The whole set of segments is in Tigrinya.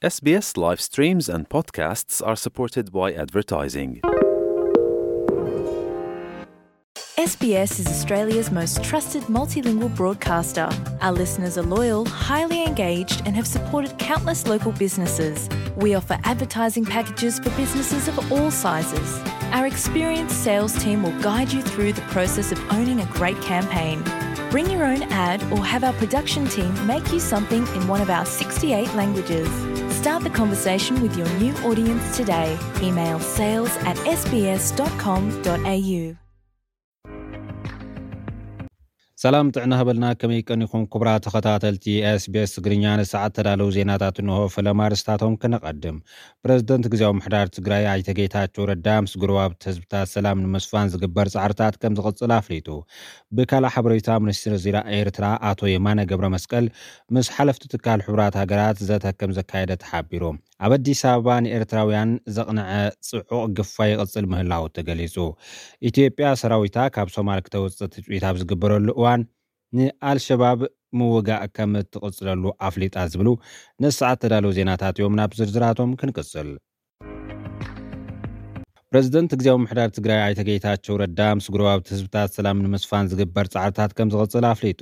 S B S live streams and podcasts are supported by advertising. S B S is Australia's most trusted multilingual broadcaster. Our listeners are loyal, highly engaged, and have supported countless local businesses. We offer advertising packages for businesses of all sizes. Our experienced sales team will guide you through the process of owning a great campaign. Bring your own ad or have our production team make you something in one of our sixty-eight languages. Start the conversation with your new audience today. Email sales at S B S dot com dot A U. ሰላም ጥዕና ሃበልና፣ ከመይ ቀኒኹም ክቡራት ተኸታተልቲ SBS ትግርኛ? ንሰዓት ተዳለዉ ዜናታት እንሆ። ፈለማ ኣርስታቶም ክነቐድም። ፕረዚደንት ግዜያዊ ምሕዳር ትግራይ ኣይተ ጌታቸው ረዳ ምስ ጎረባብቲ ህዝብታት ሰላም ንምስፋን ዝግበር ጻዕርታት ከም ዝቕጽል ኣፍሊጡ። ብካልእ ሓበሬታ፣ ሚኒስትር ዜና ኤርትራ ኣቶ የማነ ገብረ መስቀል ምስ ሓለፍቲ ትካል ሕቡራት ሃገራት ዘተ ከም ዘካየደ ተሓቢሩ። ኣብ ኣዲስ ኣበባ ንኤርትራውያን ዘቕንዐ ጽዑቕ ግፋ ይቕጽል ምህላዉ ተገሊጹ። ኢትዮጵያ ሰራዊታ ካብ ሶማል ክተውጽእ ትጽቢት ኣብ ዝግበረሉ እዋን፣ ንኣልሸባብ ምውጋእ ከም እትቕጽለሉ ኣፍሊጣ ዝብሉ ንሰዓት ተዳለዉ ዜናታት እዮም። ናብ ዝርዝራቶም ክንቅጽል። ፕረዚደንት ግዜያዊ ምሕዳር ትግራይ ኣይተ ጌታቸው ረዳ ምስ ጎረባብቲ ህዝብታት ሰላም ንምስፋን ዝግበር ጻዕርታት ከም ዝቕጽል ኣፍሊጡ።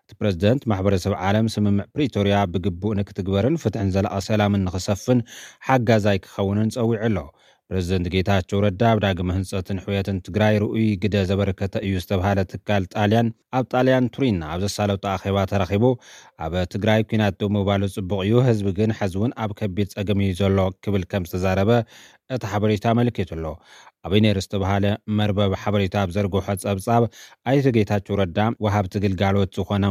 እቲ ፕረዚደንት፣ ማሕበረሰብ ዓለም ስምምዕ ፕሪቶርያ ብግቡእ ንክትግበርን ፍትሕን ዘላቒ ሰላምን ንክሰፍን ሓጋዛይ ክኸውንን ጸዊዑ ኣሎ። ፕረዚደንት ጌታቸው ረዳ ኣብ ዳግመ ህንጸትን ሕውየትን ትግራይ ርኡይ ግደ ዘበርከተ እዩ ዝተብሃለ ትካል ጣልያን ኣብ ጣልያን ቱሪን ኣብ ዘሳለጦ ኣኼባ ተረኺቡ፣ ኣብ ትግራይ ኲናት ደው ምባሉ ጽቡቕ እዩ፣ ህዝቢ ግን ሕዚ እውን ኣብ ከቢድ ጸገም እዩ ዘሎ ክብል ከም ዝተዛረበ እቲ ሓበሬታ ኣመልኪቱ ኣሎ። ኣብ ኢነር ዝተባሃለ መርበብ ሓበሬታ ኣብ ዘርግሖ ጸብጻብ፣ ኣይተ ጌታቸው ረዳ፣ ወሃብቲ ግልጋሎት ዝኾነ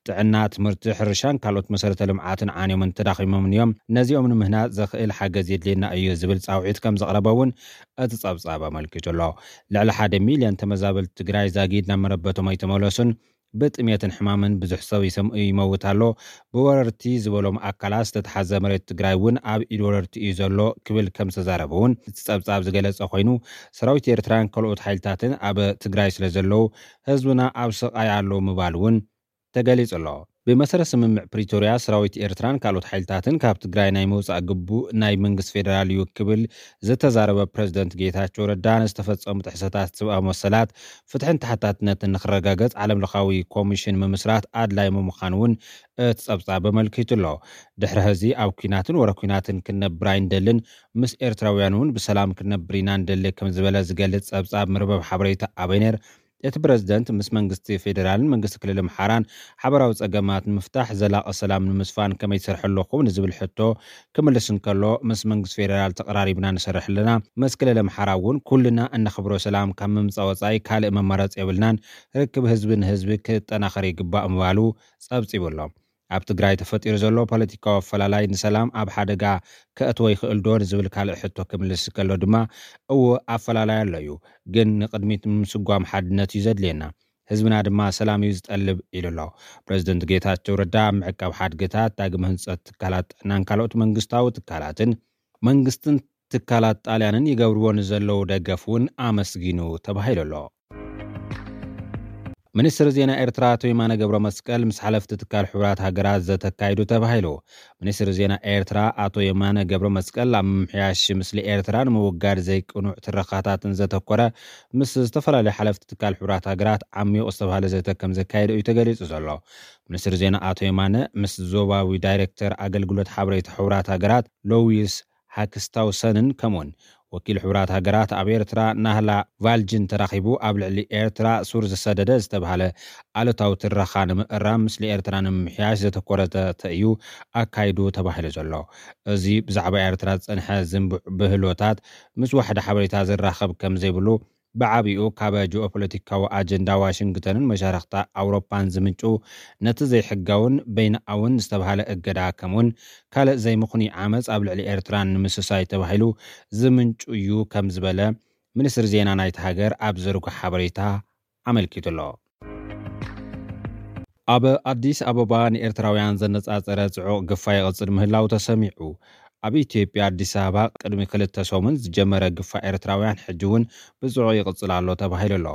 ጥዕና፣ ትምህርቲ፣ ሕርሻን ካልኦት መሰረተ ልምዓትን ዓንዮምን ተዳኺሞምን እዮም። ነዚኦም ንምህናጽ ዘኽእል ሓገዝ የድልየና እዩ ዝብል ጻውዒት ከም ዘቕረበ እውን እቲ ጸብጻብ ኣመልኪቱ ኣሎ። ልዕሊ ሓደ ሚልዮን ተመዛበልቲ ትግራይ ዛጊድ ናብ መረበቶም ኣይተመለሱን፣ ብጥሜትን ሕማምን ብዙሕ ሰብ ይሰም-፣ ይመውት ኣሎ። ብወረርቲ ዝበሎም ኣካላት ዝተተሓዘ መሬት ትግራይ እውን ኣብ ኢድ ወረርቲ እዩ ዘሎ ክብል ከም ዝተዛረበ እውን እቲ ጸብጻብ ዝገለጸ ኮይኑ፣ ሰራዊት ኤርትራን ካልኦት ሓይልታትን ኣብ ትግራይ ስለ ዘለዉ፣ ህዝብና ኣብ ስቓይ ኣሎ ምባል እውን ተገሊጹ ኣሎ። ብመሰረት ስምምዕ ፕሪቶርያ፣ ሰራዊት ኤርትራን ካልኦት ሓይልታትን ካብ ትግራይ ናይ ምውጻእ ግቡእ ናይ መንግስቲ ፌደራል እዩ ክብል ዝተዛረበ ፕረዚደንት ጌታቸው ረዳ፣ ንዝተፈጸሙ ጥሕሰታት ሰብኣዊ መሰላት፣ ፍትሕን ተሓታትነትን ንክረጋገጽ ዓለምለኻዊ ኮሚሽን ምምስራት ኣድላይ ምዃኑ እውን እቲ ጸብጻብ ኣመልኪቱ ኣሎ። ድሕሪ ሕዚ ኣብ ኲናትን ወረ ኲናትን ክንነብር ኣይንደልን፣ ምስ ኤርትራውያን እውን ብሰላም ክንነብር ኢና ንደሊ ከም ዝበለ ዝገልጽ ጸብጻብ መርበብ ሓበሬታ ኣበይነር፣ እቲ ፕረዚደንት ምስ መንግስቲ ፌደራልን መንግስቲ ክልል ኣምሓራን ሓበራዊ ጸገማት ንምፍታሕ ዘላቒ ሰላም ንምስፋን ከመይ ትሰርሑ ኣለኹም ንዝብል ሕቶ ክምልስ እንከሎ፣ ምስ መንግስቲ ፌደራል ተቐራሪብና ንሰርሕ ኣለና። ምስ ክልል ኣምሓራ እውን ኩልና እነኽብሮ ሰላም ካብ ምምጻእ ወጻኢ ካልእ መማረጺ የብልናን። ርክብ ህዝቢ ንህዝቢ ክጠናኸር ይግባእ ምባሉ ጸብጺቡ ኣሎ። ኣብ ትግራይ ተፈጢሩ ዘሎ ፖለቲካዊ ኣፈላላይ ንሰላም ኣብ ሓደጋ ከእትዎ ይኽእል ዶ ንዝብል ካልእ ሕቶ ክምልስ ከሎ ድማ፣ እወ ኣፈላላይ ኣሎ እዩ፣ ግን ንቕድሚት ንምስጓም ሓድነት እዩ ዘድልየና። ህዝብና ድማ ሰላም እዩ ዝጠልብ ኢሉ ኣሎ። ፕረዚደንት ጌታቸው ረዳ ኣብ ምዕቃብ ሓድግታት፣ ዳግመ ህንጸት ትካላት ጥዕናን ካልኦት መንግስታዊ ትካላትን መንግስትን ትካላት ጣልያንን ይገብርዎ ንዘለዉ ደገፍ እውን ኣመስጊኑ ተባሂሉ ኣሎ። ሚኒስትር ዜና ኤርትራ ኣቶ የማነ ገብረ መስቀል ምስ ሓለፍቲ ትካል ሕቡራት ሃገራት ዘተ ኣካይዱ ተባሂሉ። ሚኒስትር ዜና ኤርትራ ኣቶ የማነ ገብረ መስቀል ኣብ ምምሕያሽ ምስሊ ኤርትራ ንምውጋድ ዘይቅኑዕ ትረኻታትን ዘተኮረ ምስ ዝተፈላለዩ ሓለፍቲ ትካል ሕቡራት ሃገራት ዓሚቕ ዝተባሃለ ዘተ ከም ዘካየደ እዩ ተገሊጹ ዘሎ። ሚኒስትር ዜና ኣቶ የማነ ምስ ዞባዊ ዳይሬክተር ኣገልግሎት ሓበሬታ ሕቡራት ሃገራት ሎዊስ ሃክስታውሰንን ከምኡውን ወኪል ሕቡራት ሃገራት ኣብ ኤርትራ ናህላ ቫልጅን ተራኺቡ ኣብ ልዕሊ ኤርትራ ሱር ዝሰደደ ዝተባሃለ ኣሉታዊ ትረኻ ንምእራም፣ ምስሊ ኤርትራ ንምምሕያሽ ዘተኮረ ዘተ እዩ ኣካይዱ ተባሂሉ ዘሎ። እዚ ብዛዕባ ኤርትራ ዝጸንሐ ዝንቡዕ ብህሎታት ምስ ዋሕዲ ሓበሬታ ዝራኸብ ከም ዘይብሉ፣ ብዓቢኡ ካብ ጂኦፖለቲካዊ ኣጀንዳ ዋሽንግተንን መሻርኽታ ኣውሮፓን ዝምንጩ፣ ነቲ ዘይሕጋውን በይንኣውን ዝተባህለ እገዳ፣ ከምኡውን ካልእ ዘይምኽኑይ ዓመጽ ኣብ ልዕሊ ኤርትራ ንምስሳይ ተባሂሉ ዝምንጩ እዩ ከም ዝበለ ሚኒስትሪ ዜና ናይቲ ሃገር ኣብ ዘርግሖ ሓበሬታ ኣመልኪቱ ኣሎ። ኣብ ኣዲስ ኣበባ ንኤርትራውያን ዘነጻጸረ ጽዑቕ ግፋ ይቕጽል ምህላው ተሰሚዑ። ኣብ ኢትዮጵያ ኣዲስ ኣበባ ቅድሚ ክልተ ሰሙን ዝጀመረ ግፋ ኤርትራውያን ሕጂ እውን ብጽዑቕ ይቕጽል ኣሎ ተባሂሉ ኣሎ።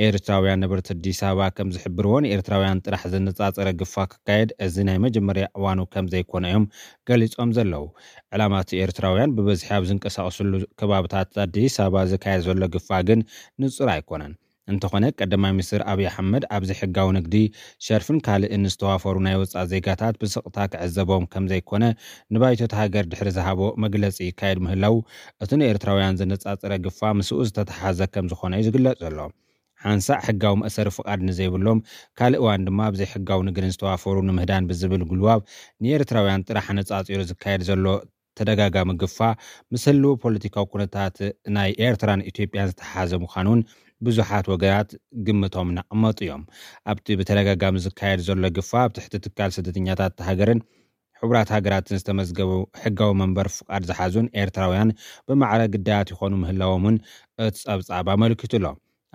ኤርትራውያን ነበርቲ ኣዲስ ኣበባ ከም ዝሕብርዎ ንኤርትራውያን ጥራሕ ዘነጻጸረ ግፋ ክካየድ እዚ ናይ መጀመርያ እዋኑ ከም ዘይኮነ እዮም ገሊጾም ዘለዉ። ዕላማ እቲ ኤርትራውያን ብብዝሒ ኣብ ዝንቀሳቐስሉ ከባብታት ኣዲስ ኣበባ ዝካየድ ዘሎ ግፋ ግን ንጹር ኣይኮነን። እንተኾነ ቀዳማይ ሚኒስትር ኣብይ ኣሕመድ ኣብዚ ሕጋዊ ንግዲ ሸርፍን ካልእን ዝተዋፈሩ ናይ ወፃእ ዜጋታት ብስቕታ ክዕዘቦም ከም ዘይኮነ ንባይቶ እታ ሃገር ድሕሪ ዝሃቦ መግለፂ ይካየድ ምህላው እቲ ንኤርትራውያን ዘነፃፀረ ግፋ ምስኡ ዝተተሓዘ ከም ዝኾነ እዩ ዝግለፅ ዘሎ። ሓንሳእ ሕጋዊ መእሰሪ ፍቓድ ንዘይብሎም ካልእ እዋን ድማ ኣብ ዘይሕጋዊ ንግድን ዝተዋፈሩ ንምህዳን ብዝብል ጉልባብ ንኤርትራውያን ጥራሕ ኣነፃፂሩ ዝካየድ ዘሎ ተደጋጋሚ ግፋ ምስ ህልው ፖለቲካዊ ኩነታት ናይ ኤርትራን ኢትዮጵያን ዝተሓዘ ምዃኑን ብዙሓት ወገናት ግምቶም እናቐመጡ እዮም። ኣብቲ ብተደጋጋሚ ዝካየድ ዘሎ ግፋ ኣብ ትሕቲ ትካል ስደተኛታት ሃገርን ሕቡራት ሃገራትን ዝተመዝገቡ ሕጋዊ መንበር ፍቓድ ዝሓዙን ኤርትራውያን ብማዕረ ግዳያት ይኾኑ ምህላዎም እውን እቲ ጸብጻብ ኣመልኪቱ ኣሎ።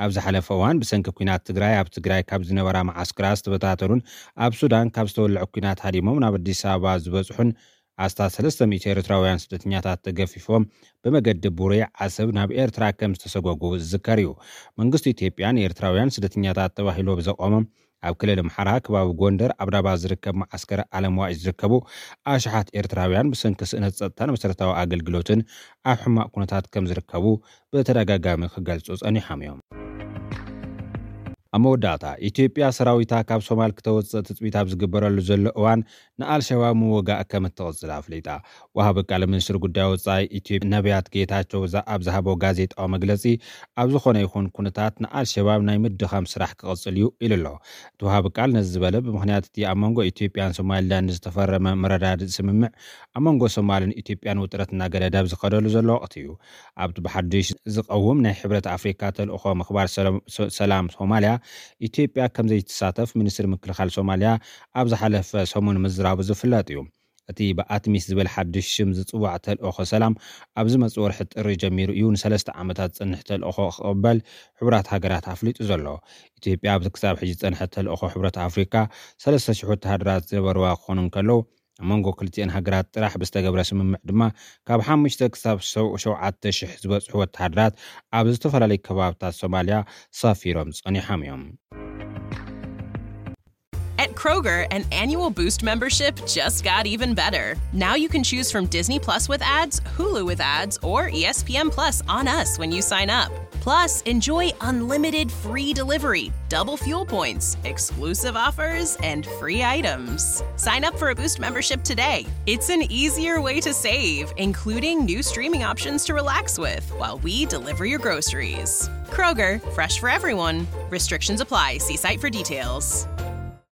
ኣብ ዝሓለፈ እዋን ብሰንኪ ኲናት ትግራይ ኣብ ትግራይ ካብ ዝነበራ መዓስከራት ዝተበታተኑን ኣብ ሱዳን ካብ ዝተወልዐ ኲናት ሃዲሞም ናብ ኣዲስ ኣበባ ዝበፅሑን ኣስታት ሰለስተ ሚእቲ ኤርትራውያን ስደተኛታት ተገፊፎም ብመገዲ ቡሬ ዓሰብ ናብ ኤርትራ ከም ዝተሰጎጉ ዝዝከር እዩ። መንግስቲ ኢትዮጵያ ንኤርትራውያን ስደተኛታት ተባሂሉ ብዘቆመ ኣብ ክልል ኣምሓራ ከባቢ ጎንደር ኣብ ዳባ ዝርከብ መዓስከር ኣለምዋይ ዝርከቡ ኣሽሓት ኤርትራውያን ብሰንኪ ስእነት ጸጥታን መሰረታዊ ኣገልግሎትን ኣብ ሕማቕ ኩነታት ከም ዝርከቡ ብተደጋጋሚ ክገልጹ ጸኒሖም እዮም። ኣብ መወዳእታ ኢትዮጵያ ሰራዊታ ካብ ሶማል ክተወፅእ ትፅቢት ኣብ ዝግበረሉ ዘሎ እዋን ንኣልሸባብ ምውጋእ ከም እትቕፅል ኣፍሊጣ። ወሃቢ ቃል ሚኒስትር ጉዳይ ወፃኢ ኢትዮጵያ ነቢያት ጌታቸው ኣብ ዝሃቦ ጋዜጣዊ መግለፂ ኣብ ዝኾነ ይኹን ኩነታት ንኣልሸባብ ናይ ምድኻም ስራሕ ክቕፅል እዩ ኢሉ ኣሎ። እቲ ወሃቢ ቃል ነዚ ዝበለ ብምኽንያት እቲ ኣብ መንጎ ኢትዮጵያን ሶማሊላንድ ዝተፈረመ መረዳድእ ስምምዕ ኣብ መንጎ ሶማልን ኢትዮጵያን ውጥረት እናገደደ ኣብ ዝኸደሉ ዘሎ ወቕቲ እዩ። ኣብቲ ብሓድሽ ዝቐውም ናይ ሕብረት ኣፍሪካ ተልእኾ ምኽባር ሰላም ሶማልያ ኢትዮጵያ ከም ዘይትሳተፍ ሚኒስትሪ ምክልኻል ሶማልያ ኣብ ዝሓለፈ ሰሙን ምዝራቡ ዝፍለጥ እዩ። እቲ ብኣትሚስ ዝብል ሓድሽ ሽም ዝፅዋዕ ተልእኾ ሰላም ኣብ ዝመፅእ ወርሒ ጥሪ ጀሚሩ እዩ ንሰለስተ ዓመታት ዝፅንሕ ተልእኾ ክቕበል ሕቡራት ሃገራት ኣፍሊጡ ዘሎ። ኢትዮጵያ ኣብዚ ክሳብ ሕጂ ዝፀንሐ ተልእኾ ሕብረት ኣፍሪካ ሰለስተ ሽሕ ወተሃደራት ዝነበርዋ ክኾኑ እንከለዉ ኣብ መንጎ ክልቲኤን ሃገራት ጥራሕ ብዝተገብረ ስምምዕ ድማ ካብ ሓሙሽተ ክሳብ ሸውዓተ ሽሕ ዝበፅሑ ወተሃደራት ኣብ ዝተፈላለዩ ከባብታት ሶማልያ ሰፊሮም ፀኒሖም እዮም። At Kroger, an annual Boost membership just got even better. Now you can choose from Disney Plus with ads, Hulu with ads, or E S P N Plus on us when you sign up. Plus, enjoy unlimited free delivery, double fuel points, exclusive offers, and free items. Sign up for a Boost membership today. It's an easier way to save, including new streaming options to relax with while we deliver your groceries. Kroger, fresh for everyone. Restrictions apply. See site for details.